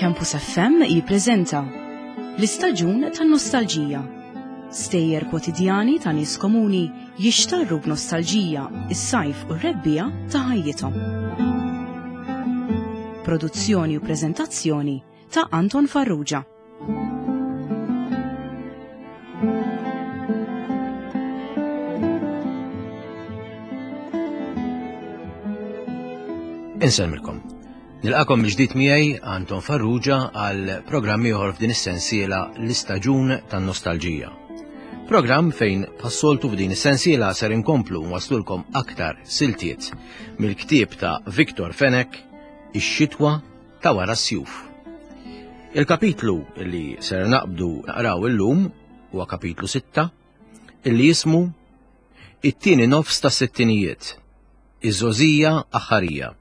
Campus FM jippreżenta l-istaġun tan-nostalġija. Stejjer kwotidjani ta' nies komuni jixtarru b'nostalġija is-sajf u r-rebbiegħa ta' ħajjithom. Produzzjoni u preżentazzjoni ta' Anton Farrugia. Insellmilkom. Nilqakom mill-ġdid miegħi Anton Farrugia għal programm ieħor f'din is-sensiela l-istaġun tan-nostalġija. Programm fejn passoltu f'din is-sensiela ser inkomplu nwaslulkom aktar siltiet mill-ktieb ta' Victor Fenech Ix-xitwa ta' wara s-sjuf. Il-kapitlu li ser naqbdu naqraw illum huwa kapitlu 6 illi jismu It-tieni nofs ta' sittinijiet, iż-żożija aħħarija.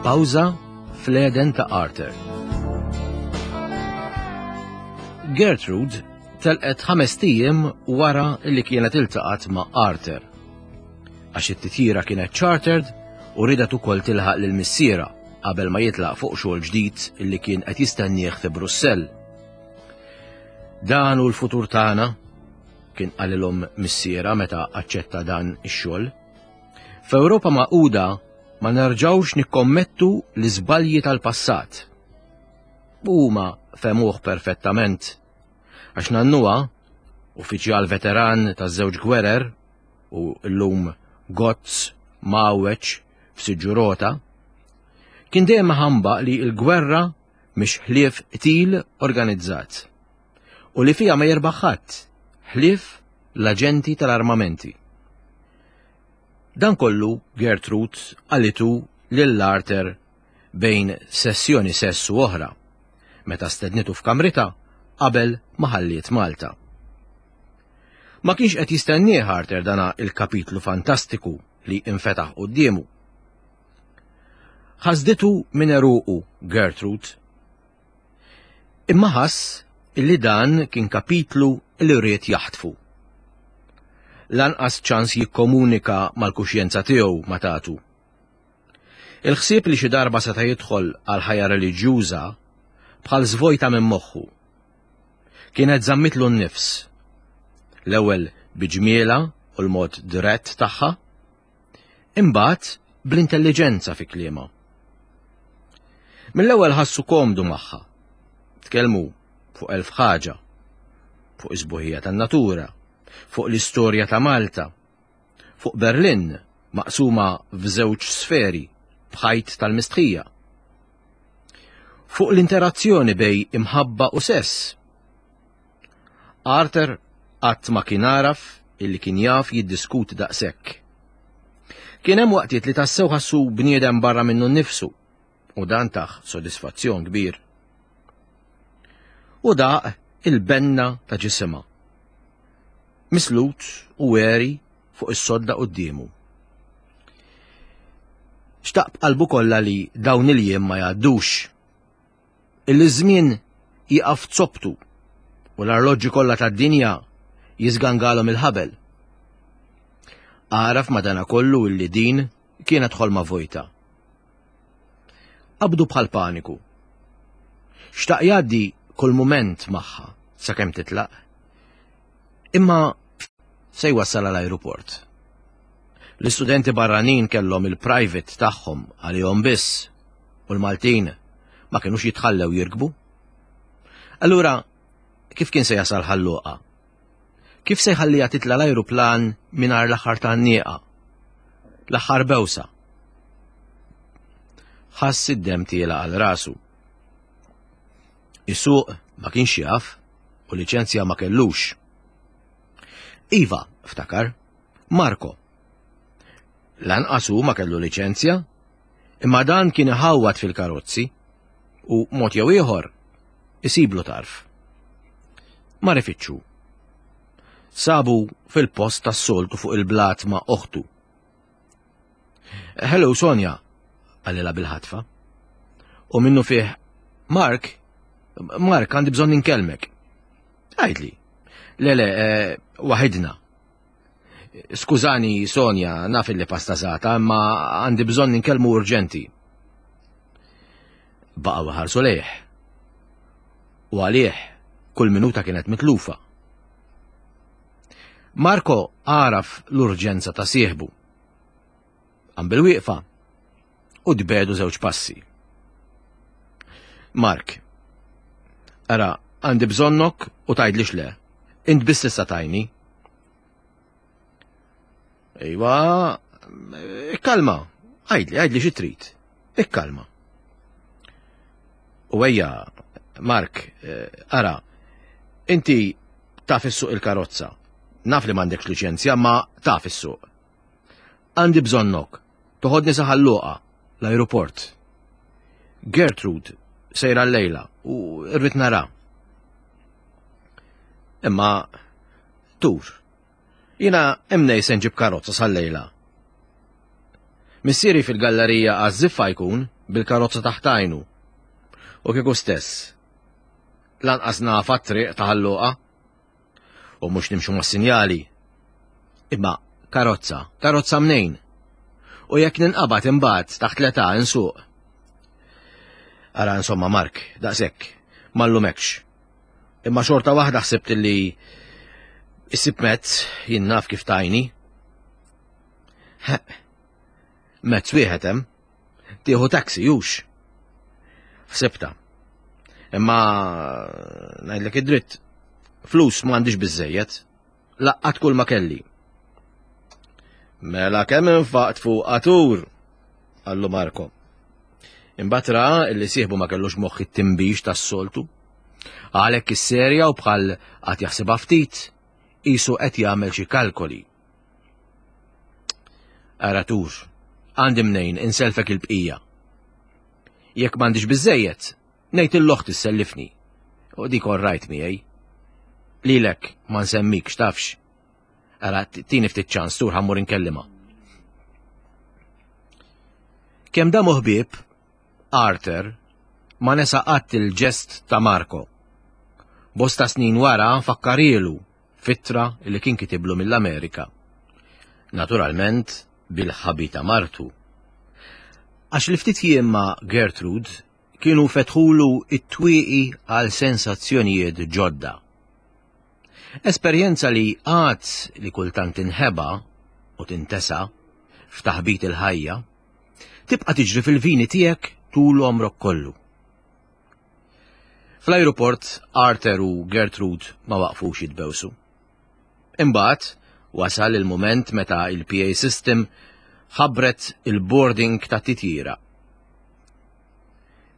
Pawża fl-Eden ta' Arthur. Gertrude telqet ħamest ijiem wara li kienet iltaqat ma' Arthur. Għax it-titjira kienet chartered u ridet ukoll tilħaq lil missiera qabel ma jitlaq fuq xogħol ġdid li kien qed jistennieh fi Brussell. Dan hu l-futur tagħna, kien qalilhom missiera meta aċċetta dan ix-xogħol. F'Ewropa magħquda ma nerġgħux nikkommettu l-iżbalji tal-passat. U huma fehmuh perfettament. Għax nannuha, uffiċjal veteran taż-żewġ gwerer u llum gozz mgħawweġ f'siġġu rota, kien dejjem iħambaq li l-gwerra mhix ħlief qtil organizzat u li fiha ma jirbaħ ħadd ħlief l-aġenti tal-armamenti. Dan kollu Gertrude qalitu lil Arthur bejn sessjoni sess u oħra, meta stednitu f'kamritha qabel ma ħalliet Malta. Ma kienx qed jistennieh Arthur dana il-kapitlu fantastiku li infetaħ quddiemu. Ħasditu minn eruqu Gertrude. Imma ħass illi dan kien kapitlu li ried jaħtfu. Lanqas ċans jikkomunika mal-kuxjenza tiegħu ma tatu. Il-ħsieb li xi darba seta' jidħol għal ħajja reliġjuża bħal żvojta minn moħħu. Kienet żammitlu n-nifs. L-ewwel bi ġmielha u l-mod dirett tagħha, imbagħad bl-intelliġenza fi kliemha. Mill-ewwel ħassu komdu magħha. Tkellmu fuq elf ħaġa, fuq is-sbuħija tan-natura, fuq l-istorja ta' Malta, fuq Berlin maqsuma f'żewġ sferi b'ħajt tal-mistħija. Fuq l-interazzjoni bej imħabba u sess. Arthur qatt ma kien għaraf illi kien jaf jiddiskuti daqshekk. Kien hemm waqtiet li tassew ħassu bniedem barra minnu nnifsu u dan tah sodisfazzjon kbir. U daq il-benna ta' ġisimha. Mislut u għeri fuq is-sodda quddiemu. Xtaq b'qalbu kollha li dawn il-jiem ma jgħaddux. Illi ż-żmien jieqaf zobtu u l-arloġġi kollha tad-dinja jiżgangalhom il-ħabel. Għaraf madanakollu illi din kienet ħolma vojta. Qabdu bħal paniku. Xtaq jgħaddi kull mument magħha sakemm titlaq. Imma se jwassal għal ajruport. L-istudenti barranin kellhom il-private tagħhom għalihom biss u l-Maltin ma kinux jitħallew jirkbu. Allura, kif kien se jasal ħalluqa? Kif se jħalliha titla l-ajruplan mingħajr l-aħħar tgħannieqa? L-aħħar bewsa? Ħass id-demm tiela għal rasu. Isuq ma kienx jaf u liċenzja ma kellux. Iva, ftakar, Marco. Lanqas hu ma kellu liċenzja, imma dan kien iħawwad fil-karozzi u mod jew ieħor isiblu tarf. Mar ifittxu. Sabu fil-post tas-soltu fuq il-blat ma' oħtu. Hello Sonja, qalilha bil-ħatfa. U minnu fih Mark. Mark, għandi bżonn inkellmek. Għidli. Le, le, eh, waħidna. Skużani, Sonja, naf li pastazata, imma għandi bżonn inkellmu urġenti. Baqgħu ħarsu lejh. U għalih, kull minuta kienet mitlufa. Marko għaraf l-urġenza ta' sieħbu. Qam bil-wieqfa u tbedu żewġ passi. Mark, ara, għandi bżonnok u tgħidlix le. Int biss tista' tajni. Ejwa, ikkalma, għidli, għidli xi trid. Ikkalma. U ejja, Mark, eh, ara, inti taf issuq il-karozza. Naf li m'għandekx liċenzja, ma taf issuq. Għandi bżonnok. Toħodni sa Ħal Luqa, l-ajruport. Gertrude sejra llejla u rrid nara. Imma tur. Jiena imnej se nġib karozza sal-lejla. Missieri fil-gallerija għaż-żiffa jkun bil-karozza taħt għajnu. U kieku stess. Lanqas nafa t-triq ta' Ħal Luqa. U mhux nimxu mas-sinjali. Imma karozza, karozza mnejn? U jekk ninqabad imbagħad taħt l-età insuq. Ara insomma Mark, daqshekk, ma llumekx. Imma xorta waħda ħsibt li issib mezz jien naf kif tajni. Mezz wieħed hemm. Tieħu taxi jux. Ħsibta. Imma ngħidlek id-dritt, flus m'għandix biżejjed, laqqat kull ma kelli. Mela kemm infaqt fuq atur, qallu Marko. Imbagħad ra li sieħbu ma kellux moħħ it-timbix tas-soltu. Għalhekk isserja u bħal qatt jaħsibha ftit, qisu qed jagħmel xi kalkoli. Ara tur, għandi mnejn inselfek il-bqija. Jekk m'għandix biżejjed, ngħid il-loħt issellifni. U dik all right miegħi. Lilek ma nsemmikx tafx. Ara tini ftit ċans tur ħammur inkellima. Kemm damu ħbieb, Arthur ma nesa qatt il-ġest ta' Marco. Bosta snin wara fakkarielu f'ittra li kien kitiblu mill-Amerika. Naturalment bil-ħabi ta' martu. Għax li ftit jiem ma' Gertrude kienu fetħulu it-twieqi għal sensazzjonijiet ġodda. Esperjenza li għad li kultant tinħeba u tintesa f'taħbit il-ħajja, tibqa' tiġri fil-vini tiegħek tul għomrok kollu. Fl-ajruport Arthur u Gertrude ma waqfux jitbewsu. Imbagħad wasal il-mument meta il-PA system ħabbret il-boarding ta' titjira.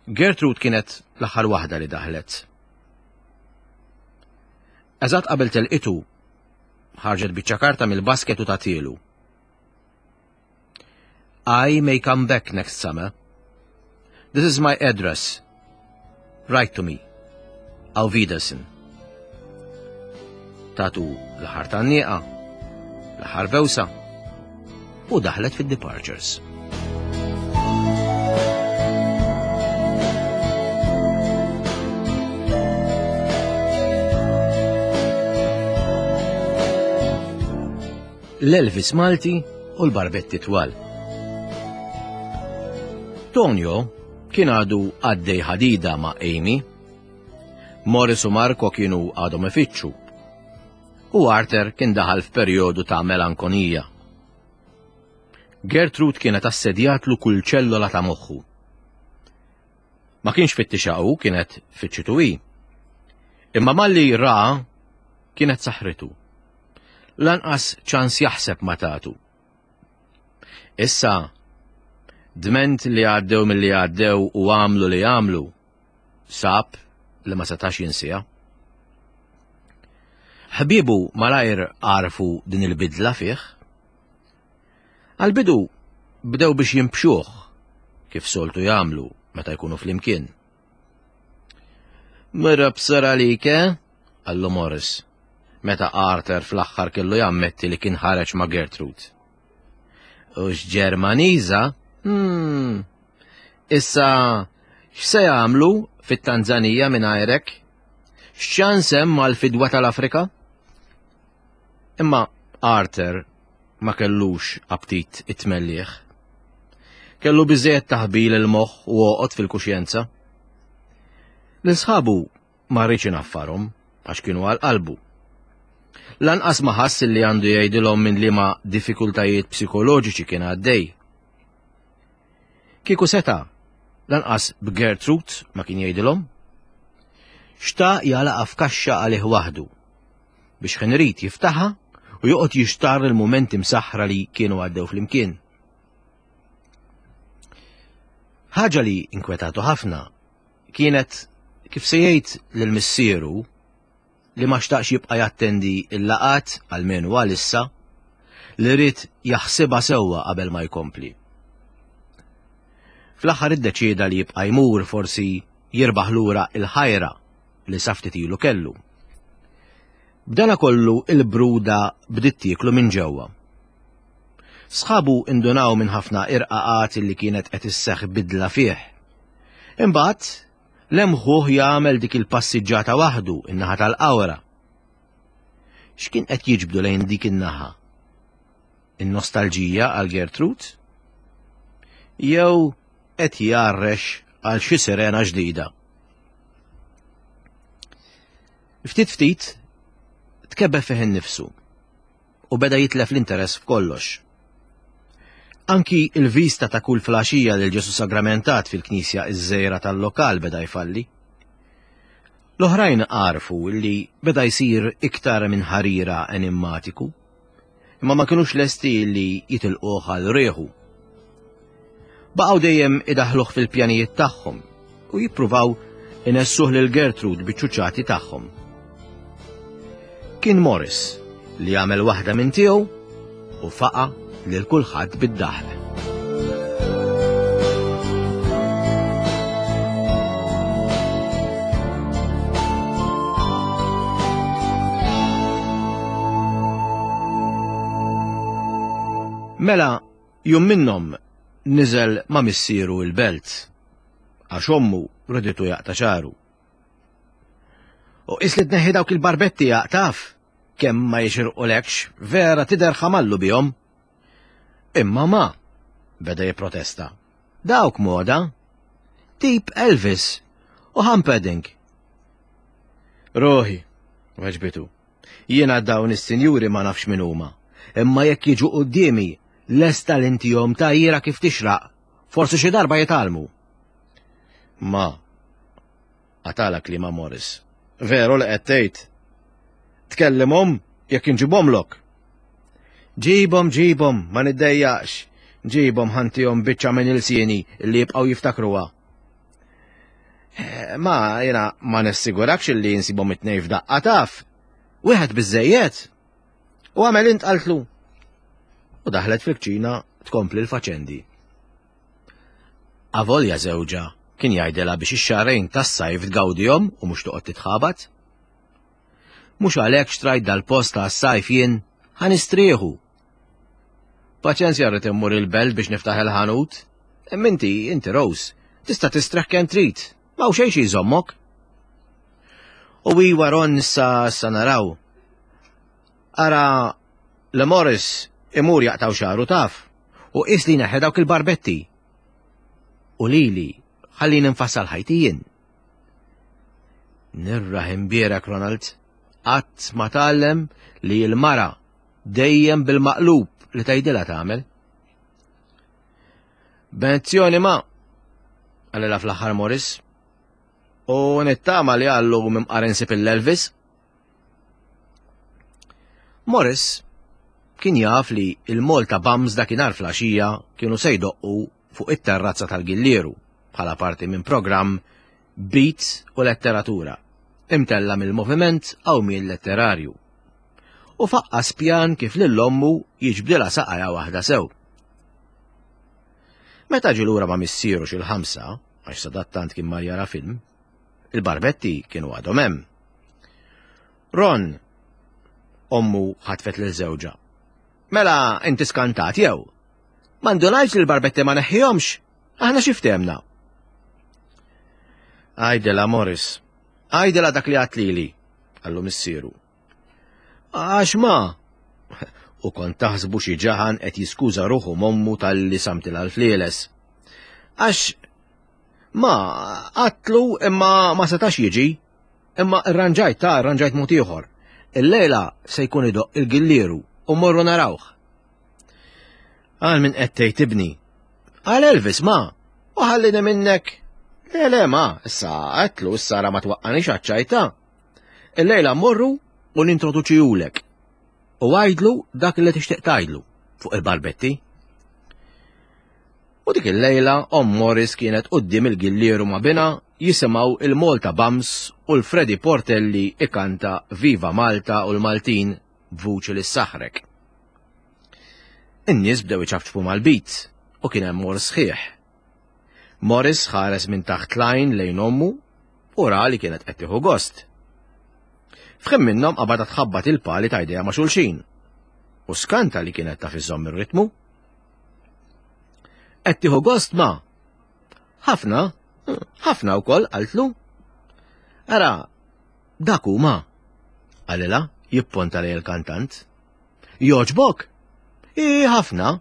Gertrude kienet l-aħħar waħda li daħlet. Eżatt qabel telqitu, ħarġet biċċa karta mill-basket u tatielu. I may come back next summer. This is my address. Write to me. Auf Wiedersehen. Tatu l-aħħar tan-nieqa, l-aħħar bewsa, u daħlet fid-departures. L-Elvis Malti u l-barbetti twal. Tonio kien għadu għaddej ħadida ma' Amy. Morris u Marco kienu għadhom ifittxu. U Arthur kien daħal f'perjodu ta' melankonija. Gertrude kienet assedjatlu kull ċellola ta' moħħu. Ma kienx fittixha hu, kienet fittxitu hi. Imma malli ra kienet saħritu. Lanqas ċans jaħseb ma tatu. Issa, dment li għaddew milli għaddew u għamlu li għamlu, sab li ma setax jinsija. Ħbiebu malajr għarfu din il-bidla fih. Għal-bidu bdew biex jimbxuh kif soltu jagħmlu meta jkunu flimkien. Mera bsar għalik, eh? Qallu Morris, meta Arthur fl-aħħar kellu jammetti li kien ħareġ ma' Gertrude. U x'Ġermaniża? Hmm. Issa, X'se jagħmlu fit-Tanzanija mingħajrek? X'ċans hemm għall-fidwa tal-Afrika? Imma Arthur ma kellux aptit it-tmelliħ. Kellu biżejjed taħbil il-moħħ u għoqod fil-kuxjenza. Lil sħabu ma rridx inaffarhom għax kienu għal qalbu. Lanqas ma ħass li għandu jgħidilhom minn liema diffikultajiet psikoloġiċi kien għaddej. Kieku seta', lanqas b'Gertrud ma kien jgħidilhom. Xtaq jagħlaqha f'kaxxa għalih waħdu biex ħin irid jiftaħha u joqgħod jixtarr il-mumenti msaħħra li kienu għaddew flimkien. Ħaġa li inkwetatu ħafna kienet kif se jgħid lil missieru li ma xtaqx jibqa' jattendi l-laqgħat almenu għalissa, li ried jaħsibha sewwa qabel ma jkompli. Fl-aħħar iddeċieda li jibqa' jmur forsi jirbaħ lura il-ħajra li sa ftit ilu kellu. B'dana kollu il-bruda bdiet tieklu minn ġewwa. Sħabu indunaw minn ħafna irqaqat li kienet qed isseħħ bidla fih. Imbagħad Lemħuh jagħmel dik il-passiġġata waħdu in-naħa tal-qawra. X'kien qed jiġbdu lejn dik in-naħa? In-nostalġija għal Gertrud? Jew qed jgħarrex għal xi sirena ġdida? Ftit ftit tkebbe fih innifsu u beda jitlef l-interess f'kollox. Anki il-vista ta' kull flaxija lil Ġesu Sagramentat fil-knisja iż-żejra tal-lokal beda jfalli. L-oħrajn għarfu li beda jsir iktar minn ħarira enimmatiku, imma ma kinux lesti li jitilquh għal rieħu. Baqgħu dejjem idaħluh fil-pjanijiet tagħhom u jippruvaw inessuh lil Gertrude biċ-ċuċati tagħhom. Kien Morris li għamel waħda minn tiegħu u faqa lil kulħadd bid-daħq. Mela, jum minnhom niżel ma' missieru il-belt, għax ommu riditu jaqta' xagħru. U qis li tneħħi dawk il-barbetti jaqtaf, kemm ma jixirqulekx, vera tidher ħamallu bihom. Imma ma, beda jipprotesta. Dawk moda. Tip Elvis u Humperdinck. Ruħi, weġbitu. Jiena dawn is-sinjuri ma nafx min huma, imma jekk jiġu quddiemi lesta li ntihom tgħajjira kif tixraq, forsi xi darba jitgħallmu. Ma, qatala kliema Morris. Veru li qed tgħid. Tkellimhom jekk inġibhomlok. Ġibhom, ġibhom, ma niddejjaqx. Ġibhom ħantihom biċċa minn ilsieni li jibqgħu jiftakruha. Eh, ma jena ma nessigurakx li jinsibhom it-tnej f'daqqa taf. Wieħed biżejjed. U għamel int qaltlu. U daħlet fil-kċina tkompli l-faċendi. Avolja żewġha kien jgħidilha biex ix-xahrejn tas-sajf tgawdihom u mhux toqgħod titħabat. Mhux għalhekk xtrajt dal-post għas-sajf jien ħa nistrieħu. Paċenzja rrid immur il-belt biex niftaħ il-ħanut. Imma inti, inti Rose, tista' tistrieħ kemm trid, ma xejn xi jżommok. U iwa Ron issa issa naraw. Ara le Morris imur jaqtaw xaru taf u qis li neħħi dawk il-barbetti. U lili ħallini nfassal ħajti jien. Nirraħ imbierek Ronald, qatt ma tgħallem li l-mara dejjem bil-maqlub li tgħidilha tagħmel. Benedizzjoni ma, qalilha fl-aħħar Morris, u nittama li għallu mimqar insib il-Elvis. Morris kien jaf li il-Malta Bums dakinhar flaxija kienu se jdoqqu fuq it-terrazza tal-Gillieru bħala parti minn programm Beats u Letteratura imtella mill-Moviment Qawmien Letterarju. U faqqas pjan kif lil ommu jiġbdilha saqajha waħda sew. Meta ġie lura ma' missieru xil-ħamsa, għax sadattant kien mar jara film, il-barbetti kienu għadhom hemm. Ron, ommu ħatfet lil żewġha. Mela inti skantat jew? Ma ndunajtx li l-barbetti ma neħħihomx? Aħna xi ftehmna? Għajdela, Morris, għajdela dak li għat lili, għallu missieru. Għax ma! U kont taħsbu xi ġaħan qed jiskuża ruħu mommu tal-li samtilha l-flieles. Għax ma għatlu imma ma setax jiġi, imma rranġajt ta' rranġajt mod ieħor. Illejla se jkun idoq il-gillieru u morru narawh. Għal min qed tgħid ibni? Għal Elvis ma, u ħallini minnek. Le le ma, issa għedtlu issa ra ma twaqqanix għaċ-ċajta. Illejla mmorru u nintroduċihulek. U għajdlu dak li tixtieq tgħidlu fuq il-barbetti. U dik il-lejla omm Morris kienet quddiem il-gillieru ma' binha jisimgħu il-Malta Bums u l-Freddie Portelli ikanta Viva Malta u l-Maltin b'vuċi li ssaħħrek. In-nies bdew iċafċfu mal-beat u kien hemm mor sħiħ. Morris ħares minn taħt l-għajn lejn ommu u ra li kienet qed tieħu gost. F'ħin minnhom qabadha tħabbat il-pali ta' idejha ma' xulxin u skanta li kienet taf iżżomm ir-ritmu. Qed tieħu gost ma' ħafna, ħafna wkoll qaltlu. Ara, Dak hu ma, qalilha jipponta lejn il-kantant. Jogħġbok? I ħafna.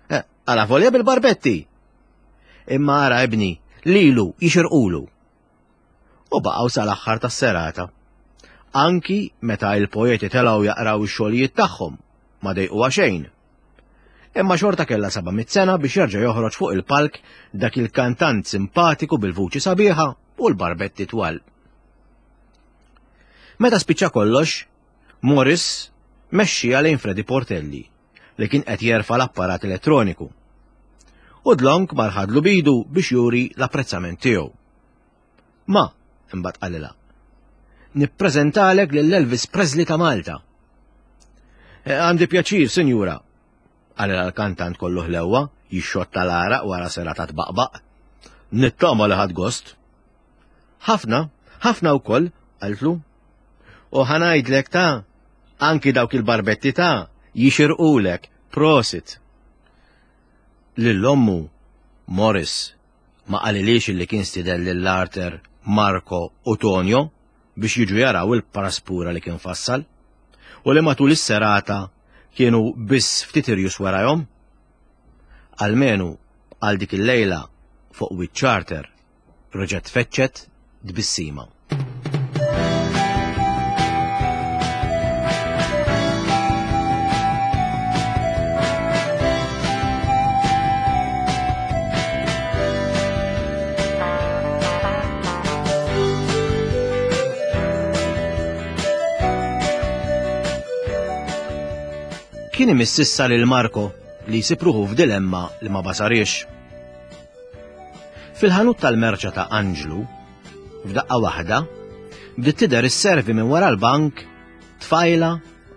Eh, għala volja bil-barbetti. Imma ara ibni, lilu jixirqulu. U baqgħu sal-aħħar tas-serata. Anki meta il-poeti telgħu jaqraw ix-xogħlijiet tagħhom, ma dejquha xejn. Imma xorta kellha 700 sena biex jerġa' joħroġ fuq il-palk dak il-kantant simpatiku bil-vuċi sabiħa u l-barbetti twal. Meta spiċċa kollox, Morris mexxija lejn Freddy Portelli li kien qed jerfa' l-apparat elettroniku. U dlonk mar ħadlu bidu biex juri l-apprezzament tiegħu. Ma, imbagħad qalilha, nippreżentalek lil Elvis Presley ta' Malta. E, għandi pjaċir, sinjura, qalilha l-kantant kollu ħlewwa, jixxotta l-għaraq wara serata tbaqbaq. Nittama li ħadd gost. Ħafna, ħafna wkoll, qaltlu. U ħanajdlek ta' anki dawk il-barbetti ta' jixirqulek, prosit. Lil ommu, Morris, ma qalilhiex illi kien stieden lil Arthur, Marco u Tonio biex jiġu jaraw il-praspura li kien fassal u li matul is-serata kienu biss ftit irjus warajhom. Almenu għal dik il-lejla fuq wiċċ Arthur reġgħet tfeċċet tbissima. Kien imiss issa lil Marco li jsib ruħu f'dilemma li ma basariex. Fil-ħanut tal-merċa ta' Anġlu, f'daqqa waħda, bdiet tidher isservi minn wara l-bank tfajla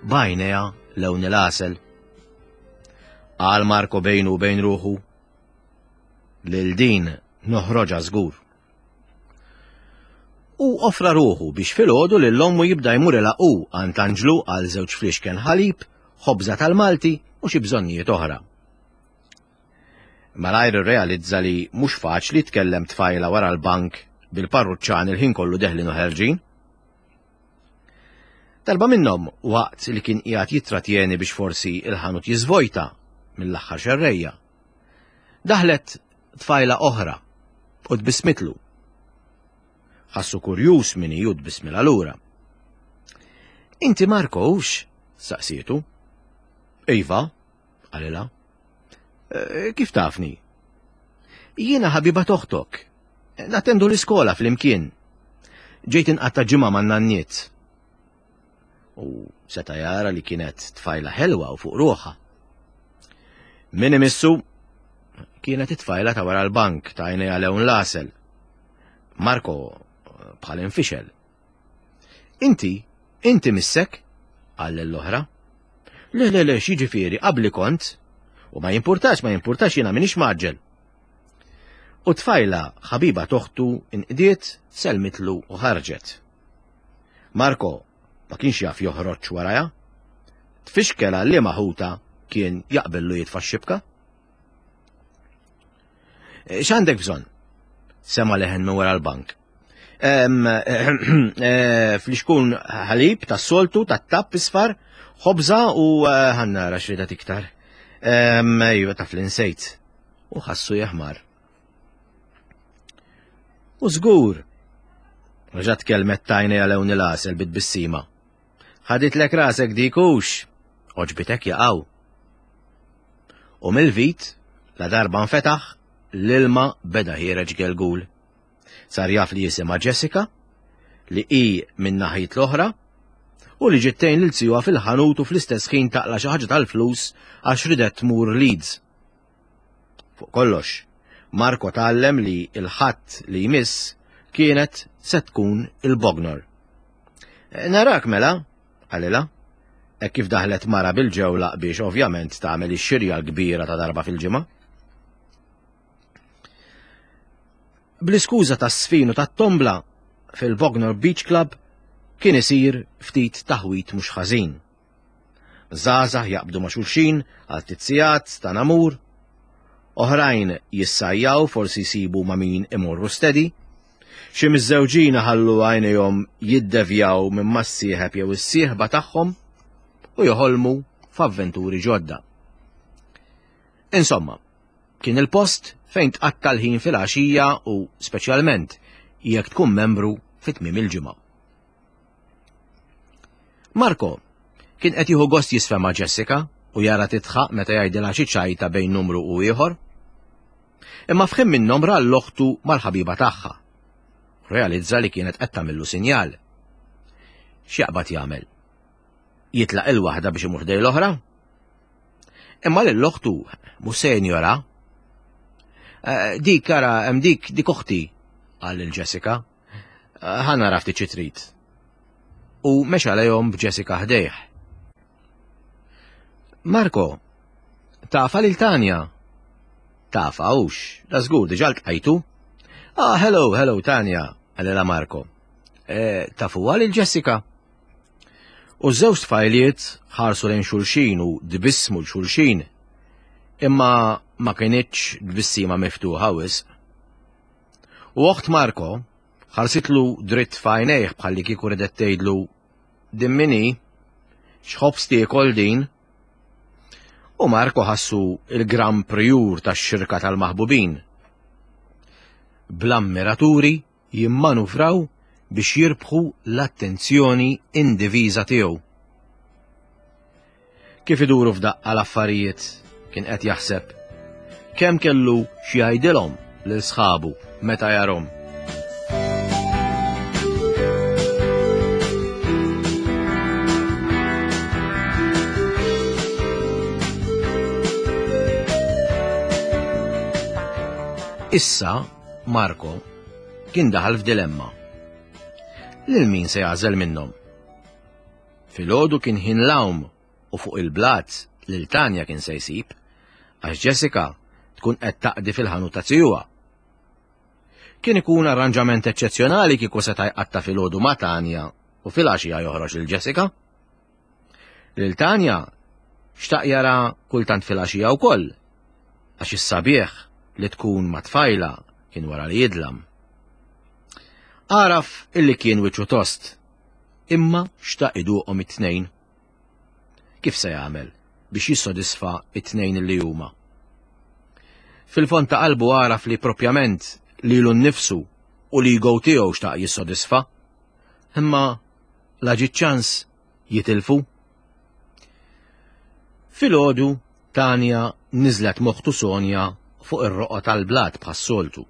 b'għajnejha lewn il-għasel. Qal Marco bejnu u bejn ruħu, lil din noħroġha żgur. U offra ruħu biex filgħodu lil ommu jibda jmurilha hu għand Anġlu għal żewġ fliexken ħalib, ħobża tal-Malti u xi bżonnijiet oħra. Malajr irrealizza li mhux faċli tkellem tfajla wara l-bank bil-parruċċani l-ħin kollu deħlin u ħerġin. Darba minnhom waqt li kien qiegħed jittratjeni biex forsi il-ħanut jiżvojta mill-aħħar xerrejja. Daħlet tfajla oħra u tbissmitlu. Ħassu kurjuż min hi u tbissmilha lura. Inti Marko hux? saqsietu. Iva, qalilha. Eh, kif tafni? Jiena ħabiba toħtok. Nattendu l-iskola fl-imkien. Ġejt inqatta ġimgħa man nanniet. U seta jara li kienet tfajla ħelwa u fuq ruħha. Min imissu kienet it-tfajla ta' wara l-bank ta' għajnejha lewn l-għasel. Marko bħal infixel. Inti, inti missek, qal l-oħra. Le, le, le, x'jiġifieri, qabli kont. U ma jimpurtax, ma jimpurtax jiena minix maġġel. U tfajla ħabiba toħtu inqdiet, selmitlu u ħarġet. Marko ma kienx jaf joħroġ waraja. Tfixkela li maħuta kien jaqbillu jitfa' xibka. Eh, x'għandek bżonn? Sema leħen minn wara l-bank. Eh, Flixkun ħalib tas-soltu tat-tapp isfar, ħobża u eh, ħannara xridet iktar. Ejwa taf l-insejt. U ħassu jeħmar. U żgur, reġa' tkellmet tajna għal il-għasel bit-tbissima. Ħaditlek rasek dik hux, oġbitek jaqaw. U mill-vit, la darba nfetaħ, l-ilma beda ħiereġ gelgul. Sar jaf li jisimha Jessica, li hi minn naħiet l-oħra, u li ġiet tgħin lil zijuha fil-ħanut u fl-istess ħin taqla xi ħaġa tal-flus għax ridet tmur Leeds. Fuq kollox, Marco tgħallem li l-Ħadd li jmiss kienet se tkun il-Bognor. Narak mela, qalilha, hekk kif daħlet mara bil-ġewlaq biex ovvjament tagħmel ix-xirja l-kbira ta' darba fil-ġimgħa. Bl-iskuża tas-sfin u tat-tombla fil-Bognor Beach Club kien isir ftit taħwit mhux ħażin. Żgħażagħ jaqbdu ma' xulxin għal tizzijat ta' namur, oħrajn jissajjaw forsi jsibu ma' min imorru steady, xi miżżewġin iħallu għajnejhom jiddevjaw minn mas-sieħeb jew is-sieħba tagħhom u joħolmu f'avventuri ġodda. Insomma, kien il-post fejn tqatta' l-ħin fil-għaxija u speċjalment jekk tkun membru fi tmiem il-ġimgħa. Marco kien qed jieħu gost jisfa' ma' Jessica u jara titħaq meta jgħidilha xi ċajta bejn numru u ieħor. Imma f'ħin minnhom ra l-oħtu mal-ħabiba tagħha. Realizza li kienet qed tagħmillu sinjal. X'jaqbad jagħmel? Jitlaq il-waħda biex imur ħdej l-oħra? Imma lil oħtu mhux se jinjora. Eh, dik ara hemm dik dik oħti, qal lil Jessica. Eh, ħa nara ftit xi trid. U mexa lejhom b'Jessica ħdejh. Marco, tafa lil Tanja? Tafa hux, da żgur diġà ltqajtu. Ah, hello, hello Tanja, qalilha Marco. E, tafuha lil Jessica? U ż-żewġ tfajliet ħarsu lejn xulxin u dbissmu l xulxin, imma ma kinitx tbissima miftuħa wisq. U oħt Marco ħarsitlu dritt f'għajnejh bħalli kieku ridet tgħidlu din min hi? X'ħobż tiekol din? U Marco ħassu il-Gran Prijur tax-xirka tal-maħbubin. Bl-ammiraturi jimmanuvraw biex jirbħu l-attenzjoni indiviża tiegħu. Kif iduru f'daqqa l-affarijiet, kien qed jaħseb. Kemm kellu xi jgħidilhom lil sħabu meta jarhom. Issa, Marco kien daħal f'dilemma. Lil min se jagħżel minnhom? Filgħodu kien ħin l-għawm u fuq il-blat lil Tanja kien se jsib, għax Jessica tkun qed taqdi fil-ħanut ta' zijuha. Kien ikun arranġament eċċezzjonali kieku seta' jqatta' filgħodu ma' Tanja u filgħaxija joħroġ lil Jessica. Lil Tanja xtaq jara kultant filgħaxija wkoll, għax is-sabiħ li tkun ma' tfajla kien wara li jidlam. Għaraf illi kien wiċċu tost, imma xtaq iduqhom it-tnejn. Kif se jagħmel biex jissodisfa it-tnejn li huma? Fil-fond ta' qalbu għaraf li propjament lilu nnifsu u l-ego tiegħu xtaq jissodisfa, imma la ġiet ċans jitilfu. Filgħodu Tanja niżlet moħtu Sonja fuq ir-roqgħa tal-blat bħas-soltu.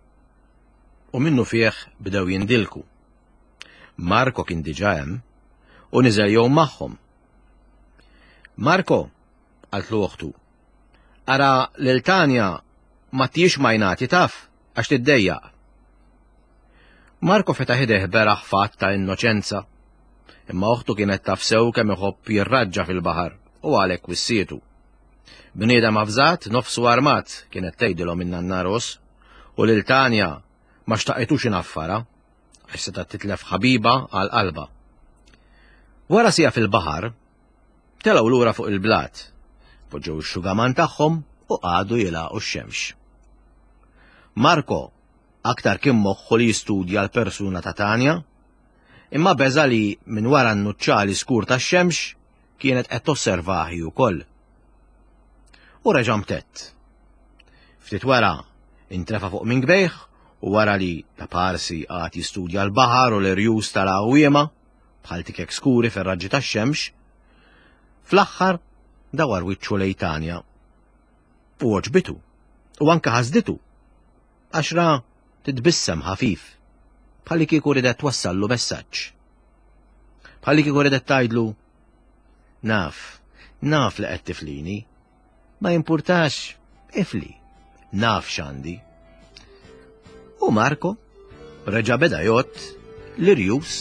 U minnu fih bdew jindilku. Marko kien diġà hemm u niżel jgħum magħhom. Marko, qaltlu oħtu, ara lil Tanja ma tix majnati taf għax tiddejjaq. Marko fetaħ idejh beraħ fatt ta' innoċenza. Imma oħtu kienet taf sew kemm iħobb jirraġġa fil-baħar u għalhekk wissietu. Bniedem avżat, nofsu armat, kienet tgħidilhom in-nanna Ros, u lil Tanja ma xtaqitux inaffara, għax setgħet titlef ħabiba għal qalbha. Wara siegħa fil-baħar, telgħu lura fuq il-blat, poġġew ix-xugaman tagħhom u qagħdu jilagħqu x-xemx. Marko. Aktar kien moħħu li jistudja l-persuna ta' Tanja, imma beża' li minn wara n-nuċċali skur tax-xemx kienet qed tosservah hi wkoll. U reġa' mtedd. Ftit wara intrefa' fuq minkbejh u wara li ta' parsi qagħad jistudja l-baħar u l-irjus tal-għawwiema bħal tikek skuri fir-raġġi tax-xemx, fl-aħħar dawar wiċċu lejn Tanja. U għoġbitu, u anke ħasditu, għax ra titbissem ħafif, bħalli kieku ridet twassallu messaġġ. Bħalli kieku ridet tgħidlu, naf, naf li qed tiflini, ma jimpurtax, ifli, naf x'għandi. U Marco reġa' beda jgħodd l-irjus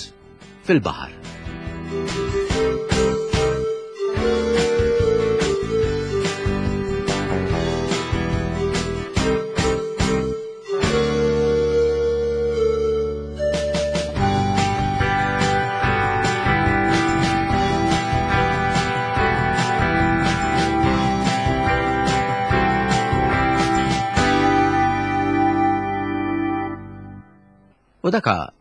fil-baħar. U daka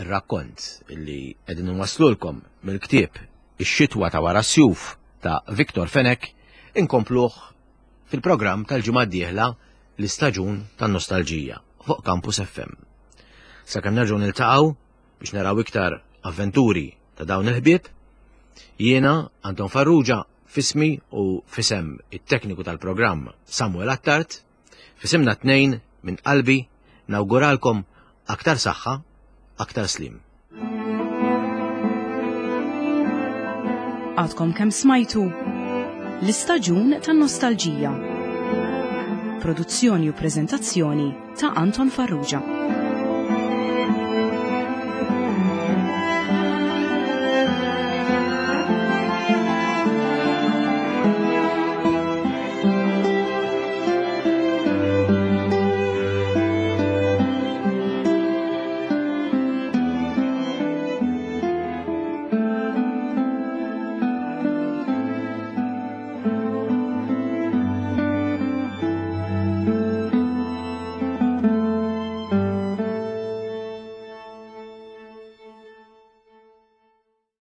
r-rakkont li qegħdin nwaslulkom mill-ktieb Ix-xitwa ta' wara s-sjuf ta' Victor Fenech inkompluh fil-programm tal-ġimgħa d-dieħla l-istaġun tan-nostalġija fuq Campus FM. Sakemm nerġgħu niltaqgħu biex naraw iktar avventuri ta' dawn il-ħbieb, jiena Anton Farrugia fismi u fisem it-tekniku tal-programm Samuel Attard, fisimna tnejn minn qalbi nawguralkom aktar saħħa, aktar slim. Għadkom kemm smajtu l-istaġun tan-nostalġija. Produzzjoni u preżentazzjoni ta' Anton Farrugia.